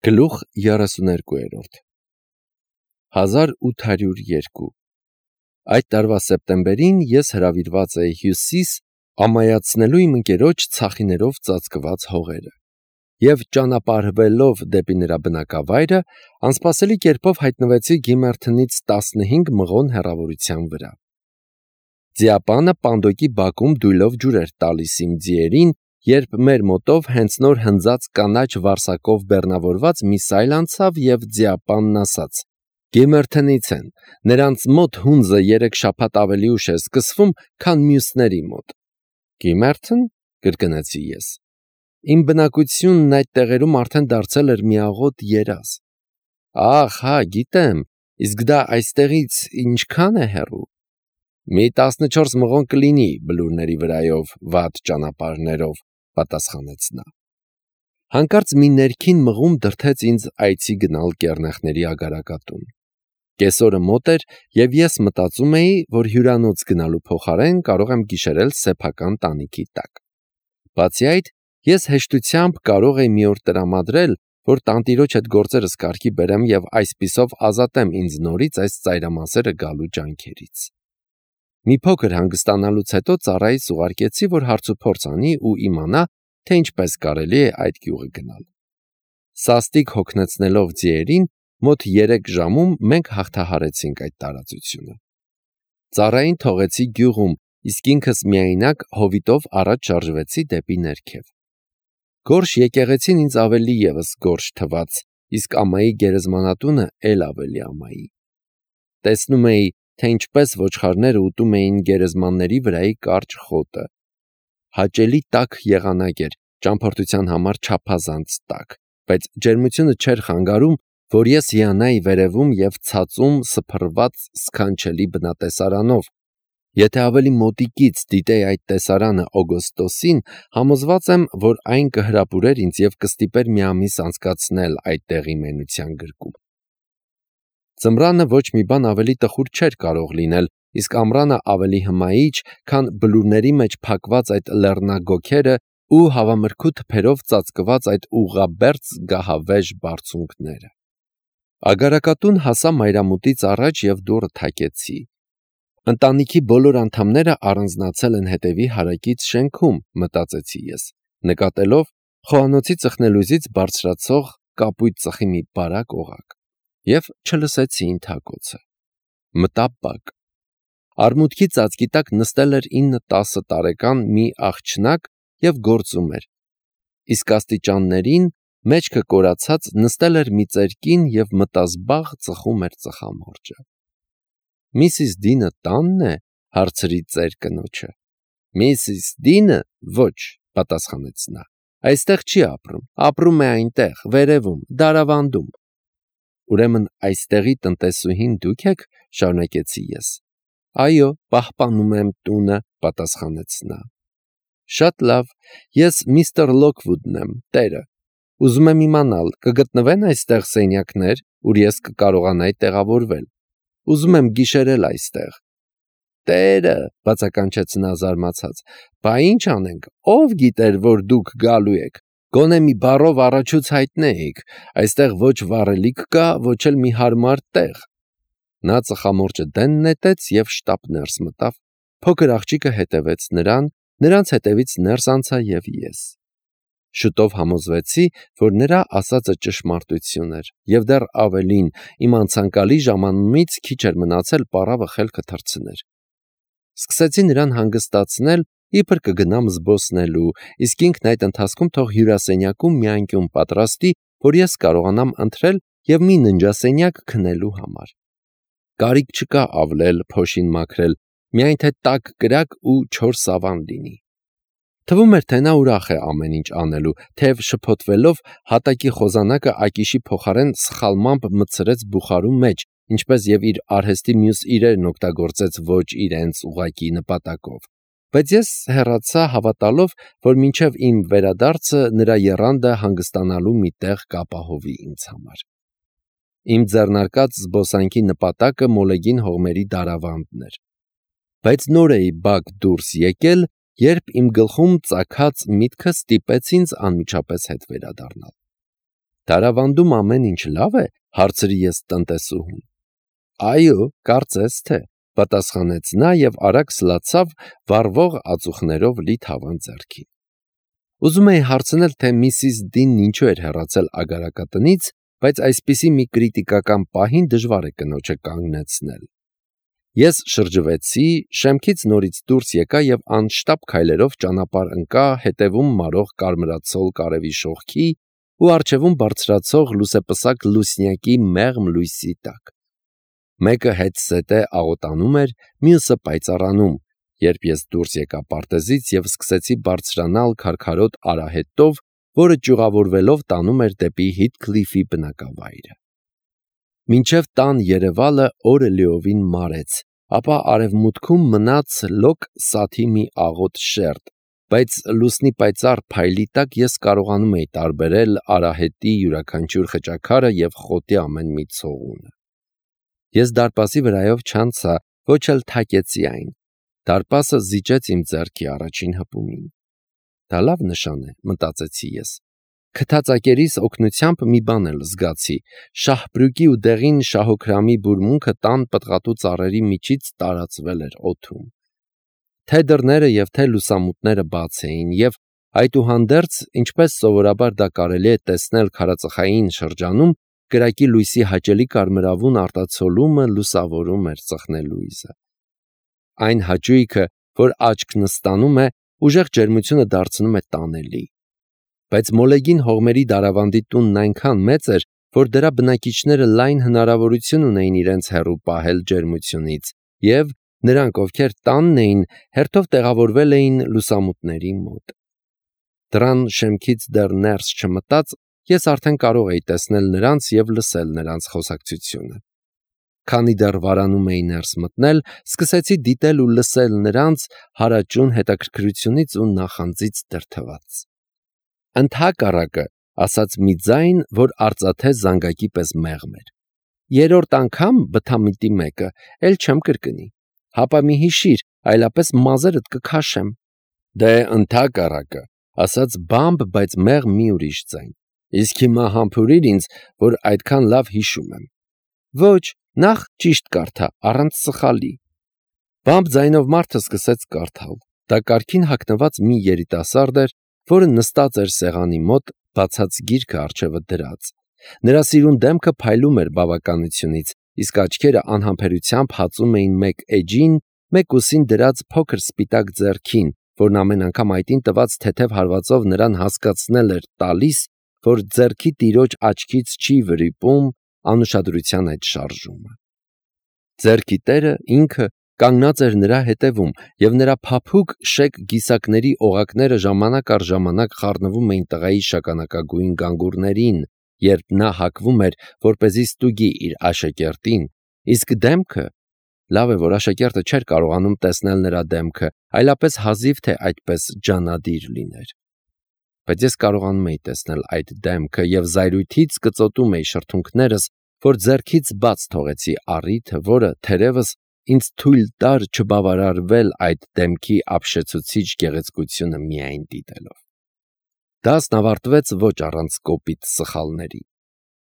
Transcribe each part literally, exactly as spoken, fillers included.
Գլուխ երեսուներկու հազար ութ հարյուր երկու Այդ տարվա սեպտեմբերին ես հրավիրված էի Հյուսիս ամայացնելու իմ ընկերոջ ցախիներով ծածկված հողերը և ճանապարհվելով դեպի նրա բնակավայրը, անսպասելի կերպով հայտնվեցի Գիմերթնից տասնհինգ մղոն հեռավորության վրա։ Ձիապանը պանդոկի բակում դույլով ջուր էր տալիս իմ ձիերին, երբ մեր մոտով հենց նոր հնձած կանաչ վարսակով բեռնավորված մի սայլ անցավ և ձիապանն ասաց. «Գիմերթնից են, նրանց մոտ հունձը երեք շաբաթ ավելի ուշ է սկսվում, քան մյուսների մոտ»։ «Գիմերթն» կրկնեցի ես։ Իմ բնակությունն այդ տեղերում արդեն դարձել էր մի աղոտ երազ։ Ահ, հա, գիտեմ, իսկ դա այստեղից ինչքա՞ն է հեռու։ Մի տասնչորս մղոն կլինի բլուրների վրայով, վատ ճանապարհներով, պատասխանեց նա։ Հանկարծ մի ներքին մղում դրդեց ինձ այցի գնալ կեռնեխների ագարակատուն։ Կեսօրը մոտ էր, և ես մտածում էի, որ հյուրանոց գնալու փոխարեն կարող եմ գիշերել սեփական տանիքի տակ։ Բացի այդ, ես հեշտությամբ կարող էի մի օր տրամադրել, որ տանտիրոջ հետ գործերս կարգի բերեմ և այսպիսով ազատեմ ինձ նորից այս ծայրամասերը գալու ջանքերից։ Մի փոքր հանգստանալուց հետո ծառայից ուղարկեցի, որ հարցուփորձ անի ու իմանա, թե ինչպես կարելի է այդ գյուղը գնալ։ Սաստիկ հոգնեցնելով ձիերին, մոտ երեք ժամում մենք հաղթահարեցինք այդ տարածությունը։ Ծառային թողեցի գյուղում, իսկ ինքս միայնակ հովիտով առաջ շարժվեցի դեպի ներքև։ Գորշ եկեղեցին ինձ ավելի ևս գորշ թվաց, իսկ ամայի գերեզմանատունը էլ ավելի ամայի։ Տեսնում էի, թե ինչպես ոչխարները ուտում էին գերեզմանների վրայի կարճ խոտը։ Հաճելի տաք եղանակ էր, ճամփորդության համար չափազանց տաք, բայց ջերմությունը չէր խանգարում, որ ես հիանայի վերևում և ցածում սփռված սքանչելի բնատեսարանով։ Եթե ավելի մոտիկից դիտեի այդ տեսարանը օգոստոսին, համոզված եմ, որ այն կհրապուրեր ինձ և կստիպեր մի ամիս անցկացնել այդ տեղի մենության գրկում։ Ձմռանը ոչ մի բան ավելի տխուր չէր կարող լինել, իսկ ամռանը ավելի հմայիչ, քան բլուրների մեջ փակված այդ լեռնագոգերը ու հավամրգու թփերով ծածկված այդ ուղղաբերձ գահավեժ բարձունքները։ Ագարակատուն հասա մայրամուտից առաջ և դուռը թակեցի։ Ընտանիքի բոլոր անդամները առանձնացել են հետևի հարակից շենքում, մտածեցի ես, նկատելով խոհանոցի ծխնելույզից բարձրացող կապույտ ծխի մի բարակ օղակ, և չլսեցի ինթակոցը։ Մտա բակ։ Արմուտքի ծածկի տակ նստել էր ինը-տասը տարեկան մի աղջնակ և գործում էր, իսկ աստիճաններին, մեջքը կորացած, նստել էր մի ծեր կին և մտազբաղ ծխում էր ծխամորճը։ «Միսիս Դինը տա՞նն է», հարցրի ծեր կնոջը։ «Միսիս Դինը ոչ», պատասխանեց նա, «այստեղ չի ապրում, ապրում է այնտեղ, վերևում, դարավանդում»։ «Ուրեմն այստեղի տնտեսուհին դուք եք», շարունակեցի ես։ «Այո, պահպանում եմ տունը», պատասխանեց նա։ «Շատ լավ, ես միստր Լոքվուդն եմ, տերը։ Ուզում եմ իմանալ, կգտնվե՞ն այստեղ սենյակներ, ուր ես կկարողանայի տեղավորվել։ Ուզում եմ գիշերել այստեղ»։ «Տերը», բացականչեց նա զարմացած, «բա ինչ անենք, ով գիտեր, որ դուք գալու եք, գոնե մի բառով առաջուց հայտնեիք, այստեղ ոչ վառելիք կա, ոչ էլ մի հարմար տեղ»։ Նա ծխամորճը դեն նետեց և շտապ ներս մտավ, փոքր աղջիկը հետևեց նրան, նրանց հետևից ներս անցա և ես։ Շուտով համոզվեցի, որ նրա ասածը ճշմարտություն էր, և դեռ ավելին, իմ անցանկալի ժամանումից քիչ էր մնացել պառավը խելքը թռցներ։ Սկսեցի նրան հանգստացնել, իբր կգնամ զբոսնելու, իսկ ինքն այդ ընթացքում թող հյուրասենյակում մի անկյուն պատրաստի, որ ես կարողանամ ընթրել և մի ննջասենյակ քնելու համար։ Կարիք չկա ավլել, փոշին մաքրել, միայն թե տաք կրակ ու չոր սավան լինի։ Թվում էր, թե նա ուրախ է ամեն ինչ անելու, թեև շփոթվելով հատակի խոզանակը ակիշի փոխարեն սխալմամբ մտցրեց բուխարու մեջ, ինչպես և իր արհեստի մյուս իրերն օգտագործեց ոչ իրենց ուղղակի նպատակով։ Բայց ես հեռացա հավատալով, որ մինչև իմ վերադարձը նրա եռանդը հանգստանալու մի տեղ կապահովի ինձ համար։ Իմ ձեռնարկած զբոսանքի նպատակը մոլեգին հողմերի դարավանդն էր։ Բայց նոր էի բակ դուրս եկել, երբ իմ գլխում ծագած միտքը ստիպեց ինձ անմիջապես հետ վերադառնալ։ Դարավանդում ամեն ինչ լավ է, հարցրի ես տնտեսուհուն։ Այո, կարծես թե, պատասխանեց նա և արագ սլացավ վառվող ածուխներով լի թավան ձեռքին։ Ուզում էի հարցնել, թե միսիս Դինն ինչու էր հեռացել ագարակատնից, բայց այսպիսի մի կրիտիկական պահին դժվար է կնոջը կանգնեցնել։ Ես շրջվեցի, շեմքից նորից դուրս եկա և անշտապ քայլերով ճանապարհ ընկա հետևում մարող կարմրացող կարևի շողքի ու առջևում բարձրացող լուսեպսակ լուսնյակի մեղմ լույսի տակ։ Մեկը հետզհետե աղոտանում էր, մյուսը պայծառանում, երբ ես դուրս եկա պարտեզից և սկսեցի բարձրանալ քարքարոտ արահետով, որը ճյուղավորվելով տանում էր դեպի Հիթքլիֆի բնակավայրը։ Մինչև տան երևալը օրը լիովին մարեց, ապա արևմուտքում մնաց լոկ սաթի մի աղոտ շերտ, բայց լուսնի պայծառ փայլի տակ ես կարողանում էի տարբերել արահետի յուրաքանչյուր խճաքարը և խոտի ամեն մի ցողունը։ Ես դարպասի վրայով չանցա, ոչ էլ թակեցի այն։ Դարպասը զիջեց իմ ձեռքի առաջին հպումին։ Դա լավ նշան է, մտածեցի ես։ Քթածակերիս օգնությամբ մի բան էլ զգացի. շահբրուկի ու դեղին շահոքրամի բուրմունքը տան պտղատու ծառերի միջից տարածվել էր օդում։ Թե դռները և թե լուսամուտները բաց էին, և այդուհանդերձ, ինչպես սովորաբար դա կարելի է տեսնել քարածխային շրջանում, կրակի լույսի հաճելի կարմրավուն արտացոլումը լուսավորում էր ծխնելույզը։ Այն հաճույքը, որ աչքն ստանում է, ուժեղ ջերմությունը դարձնում է տանելի։ Բայց մոլեգին հողմերի դարավանդի տունն այնքան մեծ էր, որ դրա բնակիչները լայն հնարավորություն ունեին իրենց հեռու պահել ջերմությունից, և նրանք, ովքեր տանն էին, հերթով տեղավորվել էին լուսամուտների մոտ։ Դռան շեմքից դեռ ներս չմտած, ես արդեն կարող էի տեսնել նրանց և լսել նրանց խոսակցությունը։ Քանի դեռ վարանում էի ներս մտնել, սկսեցի դիտել ու լսել նրանց հարաճուն հետաքրքրությունից ու նախանձից դրդված։ Ընդհակառակը, ասաց մի ձայն, որ արծաթե զանգակի պես մեղմ էր։ Երրորդ անգամ բթամիտի մեկը, էլ չեմ կրկնի։ Հապա մի հիշիր, այլապես մազերդ կքաշեմ։ Դե ընդհակառակը, ասաց բամբ, բայց մեղմ մի ուրիշ ձայն։ Իսկ հիմա համբուրիր ինձ, որ այդքան լավ հիշում եմ։ Ոչ, նախ ճիշտ կարդա, առանց սխալի։ Բամբ ձայնով մարդը սկսեց կարդալ։ Դա կարգին հագնված մի երիտասարդ էր, որը նստած էր սեղանի մոտ, բացած գիրքը առջևը դրած։ Նրա սիրուն դեմքը փայլում էր բավականությունից, իսկ աչքերը անհամբերությամբ հածում էին մեկ էջին, մեկ ուսին դրած փոքր սպիտակ ձեռքին, որն ամեն անգամ այտին տված թեթև հարվածով նրան հասկացնել էր տալիս, որ ձեռքի տիրոջ աչքից չի վրիպում անուշադրության այդ շարժումը։ Ձեռքի տերը ինքը կանգնած էր նրա հետևում, և նրա փափուկ շեկ գիսակների օղակները ժամանակ առ ժամանակ խառնվում էին տղայի շագանակագույն գանգուրներին, երբ նա հակվում էր, որպեսզի ստուգի իր աշակերտին, իսկ դեմքը… Լավ է, որ աշակերտը չէր կարողանում տեսնել նրա դեմքը, այլապես հազիվ թե այդպես ջանադիր լիներ։ Բայց ես կարողանում էի տեսնել այդ դեմքը և զայրույթից կծոտում էի շրթունքներս, որ ձեռքից բաց թողեցի առիթը, որը, թերևս, ինձ թույլ տար չբավարարվել այդ դեմքի ապշեցուցիչ գեղեցկությունը միայն դիտելով։ Դասն ավարտվեց ոչ առանց կոպիտ սխալների։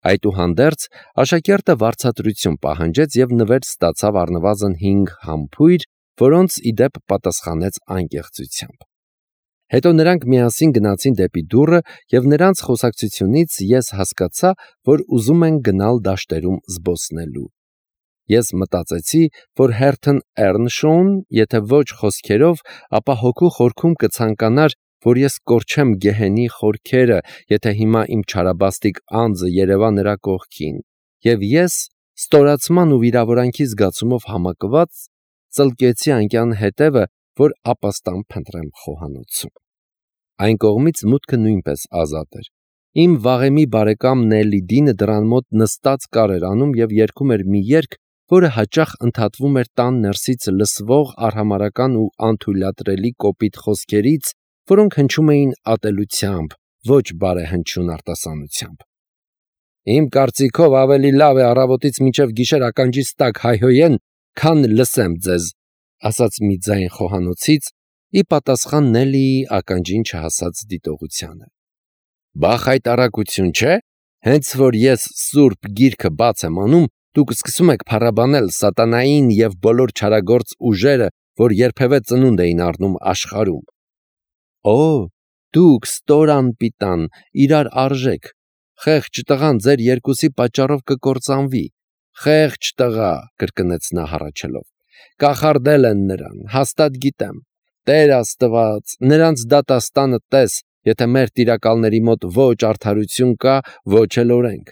Այդուհանդերձ, աշակերտը վարձատրություն պահանջեց և նվեր ստացավ առնվազն հինգ համբույր, որոնց ի դեպ պատասխանեց անկեղծությամբ։ Հետո նրանք միասին գնացին դեպի դուռը, և նրանց խոսակցությունից ես հասկացա, որ ուզում են գնալ դաշտերում զբոսնելու։ Ես մտածեցի, որ Հերթն Էռնշոուն, եթե ոչ խոսքերով, ապա հոգու խորքում կցանկանար, որ ես կորչեմ գեհենի խորքերը, եթե հիմա իմ չարաբաստիկ անձը երևա նրա կողքին, և ես, ստորացման ու վիրավորանքի զգացումով համակված, ծլկեցի անկյան հետևը, որ ապաստան փնտրեմ խոհանոցում։ Այն կողմից մուտքը նույնպես ազատ էր։ Իմ վաղեմի բարեկամ Նելի Դինը դռան մոտ նստած կար էր անում և երգում էր մի երգ, որը հաճախ ընդհատվում էր տան ներսից լսվող արհամարհական ու անթույլատրելի կոպիտ խոսքերից, որոնք հնչում էին ատելությամբ, ոչ բարեհնչյուն արտասանությամբ։ Իմ կարծիքով ավելի լավ է առավոտից մինչև գիշեր ականջիս տակ հայհոյեն, քան լսեմ ձեզ, ասաց մի ձայն խոհանոցից, ի պատասխան Նելիի ականջին չհասած դիտողությանը։ Բա խայտառակություն չէ, Հենց որ ես սուրբ գիրքը բաց եմ անում, դուք սկսում եք փառաբանել սատանային եւ բոլոր չարագործ ուժերը, որ երբևէ ծնունդ էին առնում աշխարհում։ Օ, դուք ստոր անպիտան, իրար արժեք, խեղճ տղան ձեր երկուսի պատճառով կկործանվի, խեղճ տղա, կրկնեց նա հառաչելով, կախարդել են նրան, հաստատ գիտեմ, Տեր Աստված, նրանց դատաստանը տես, եթե մեր տիրակալների մոտ ոչ արդարություն կա, ոչ էլ օրենք։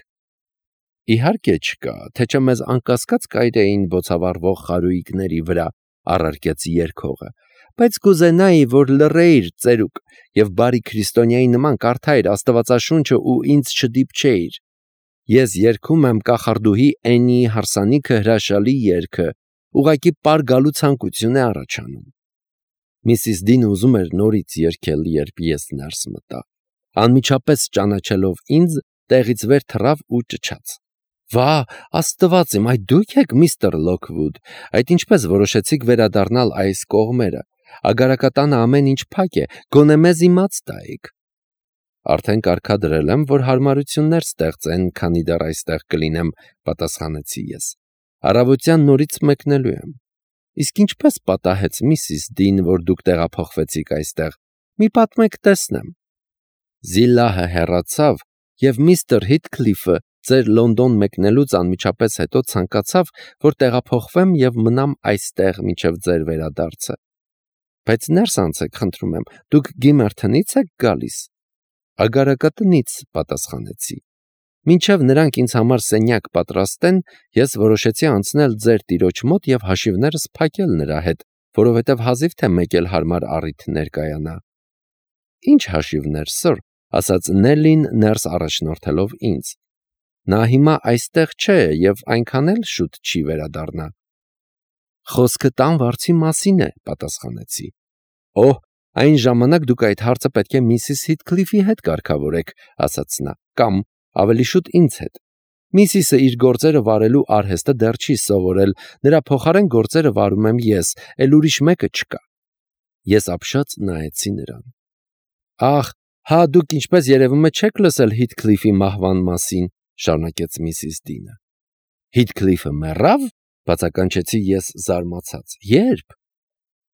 Իհարկե չկա, թե չէ մեզ անկասկած կայրեին բոցավառվող խարույկների վրա, առարկեց երգողը, բայց կուզենայի, որ լռեիր ծերուկ եւ բարի քրիստոնյայի նման կարդայիր Աստվածաշունչը ու ինձ չդիպչեիր։ Ես երգում եմ կախարդուհի Էնի հարսանիքը հրաշալի երգը, ուղղակի պար գալու ցանկություն է առաջանում։ Միսիս Դինը ուզում էր նորից երգել, երբ ես ներս մտա։ Անմիջապես ճանաչելով ինձ, տեղից վեր թռավ ու ճչաց. Վա, Աստված իմ, այդ դու՞ք եք, միստր Լոքվուդ, այդ ինչպես որոշեցիք վերադառնալ այս կողմերը, ագարակատանը ամեն ինչ փակ է, գոնե մեզ իմաց տայիք։ Արդեն կարգադրել եմ, որ հարմարություններ ստեղծեն, քանի դեռ այստեղ կլինեմ, պատասխանեցի ես։ Առավոտյան նորից մեկնելու եմ։ Իսկ ինչպես պատահեց միսիս Դին, որ դուք տեղափոխվեցիք այստեղ, մի պատմեք տեսնեմ։ Զիլահը հեռացավ, եւ միստր Հիթքլիֆը ձեր Լոնդոն մեկնելուց անմիջապես հետո ցանկացավ, որ տեղափոխվեմ եւ մնամ այստեղ մինչեւ ձեր վերադարձը։ Բայց ներս անցեք, խնդրում եմ, դուք Գիմերթոնից եք գալիս։ Ագարակատնից, պատասխանեցի։ Մինչև նրանք ինձ համար սենյակ պատրաստեն, ես որոշեցի անցնել ձեր տիրոջ մոտ եւ հաշիվներս փակել նրա հետ, որովհետեւ հազիվ թե մեկ էլ հարմար առիթ ներկայանա։ Ինչ հաշիվներ, սըր, ասաց Նելլին ներս առաջնորդելով ինձ։ Նա հիմա այստեղ չէ եւ այնքան էլ շուտ չի վերադառնա։ Խոսքը տան վարձի մասին է, պատասխանեցի։ Օհ, այն ժամանակ դուք այդ հարցը պետք է միսիս Հիթքլիֆի հետ կարգավորեք, ասաց նա, կամ ավելի շուտ ինձ հետ։ Միսիսը իր գործերը վարելու արհեստը դեռ չի սովորել, նրա փոխարեն գործերը վարում եմ ես, էլ ուրիշ մեկը չկա։ Ես ապշած նայեցի նրան։ Ախ, հա դուք ինչպես երևում է չեք լսել Հիթքլիֆի մահվան մասին, շարունակեց միսիս Դինը։ Հիթքլիֆը մեռավ, բացականչեցի ես զարմացած։ Երբ։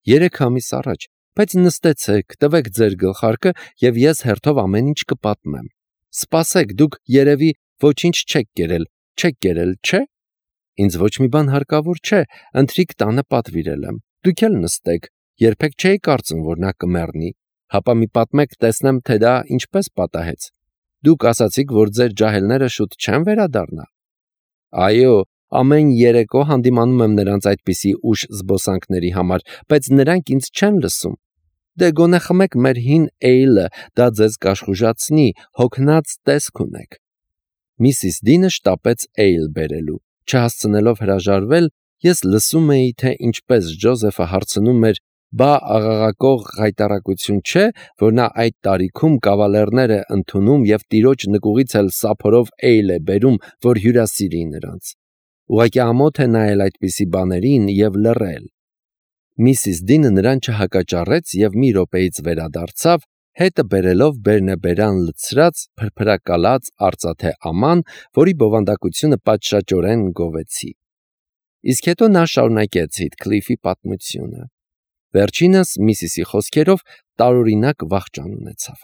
Երեք ամիս առաջ, բայց նստեցեք, տվեք ձեր գլխարկը եւ ես հերթով ամեն ինչ կպատմեմ։ Սպասեք, դուք երևի ոչինչ չեք կերել, չեք կերել, չէ՞։ Ինձ ոչ մի բան հարկավոր չէ, ընթրիք տանը պատվիրել եմ։ Դուք էլ նստեք, երբեք չէի կարծում, որ նա կմեռնի, հապա մի պատմեք, տեսնեմ, թե դա ինչպես պատահեց։ Դուք ասացիք, որ ձեր ջահելները շուտ չեն վերադառնա։ Այո, ամեն երեկո հանդիմանում եմ նրանց այդպիսի ուշ զբոսանքների համար, բայց նրանք ինձ չեն լսում։ Դե գոնե խմեք մեր հին էյլը, դա ձեզ կաշխուժացնի, հոգնած տեսք ունեք։ Միսիս Դինը շտապեց էյլ բերելու, չհասցնելով հրաժարվել, ես լսում էի, թե ինչպես Ջոզեֆը հարցնում էր, բա աղաղակող հայտարարություն չէ, որ նա այդ տարիքում կավալերներ է ընդունում եւ տիրոջ նկուղից էլ սափորով էյլ է բերում, որ հյուրասիրի նրանց։ Ուղղակի ամոթ է նայել այդպիսի բաներին եւ լռել։ Միսիս Դինը նրան չհակաճառեց եւ մի րոպեից վերադարձավ, հետը բերելով բերնեբերան լցրած, փրփրակալած արծաթե աման, որի բովանդակությունը պատշաճորեն գովեցի։ Իսկ հետո նա շարունակեց Հիթքլիֆի պատմությունը։ Վերջինս միսիսի խոսքերով տարօրինակ վախճան ունեցավ։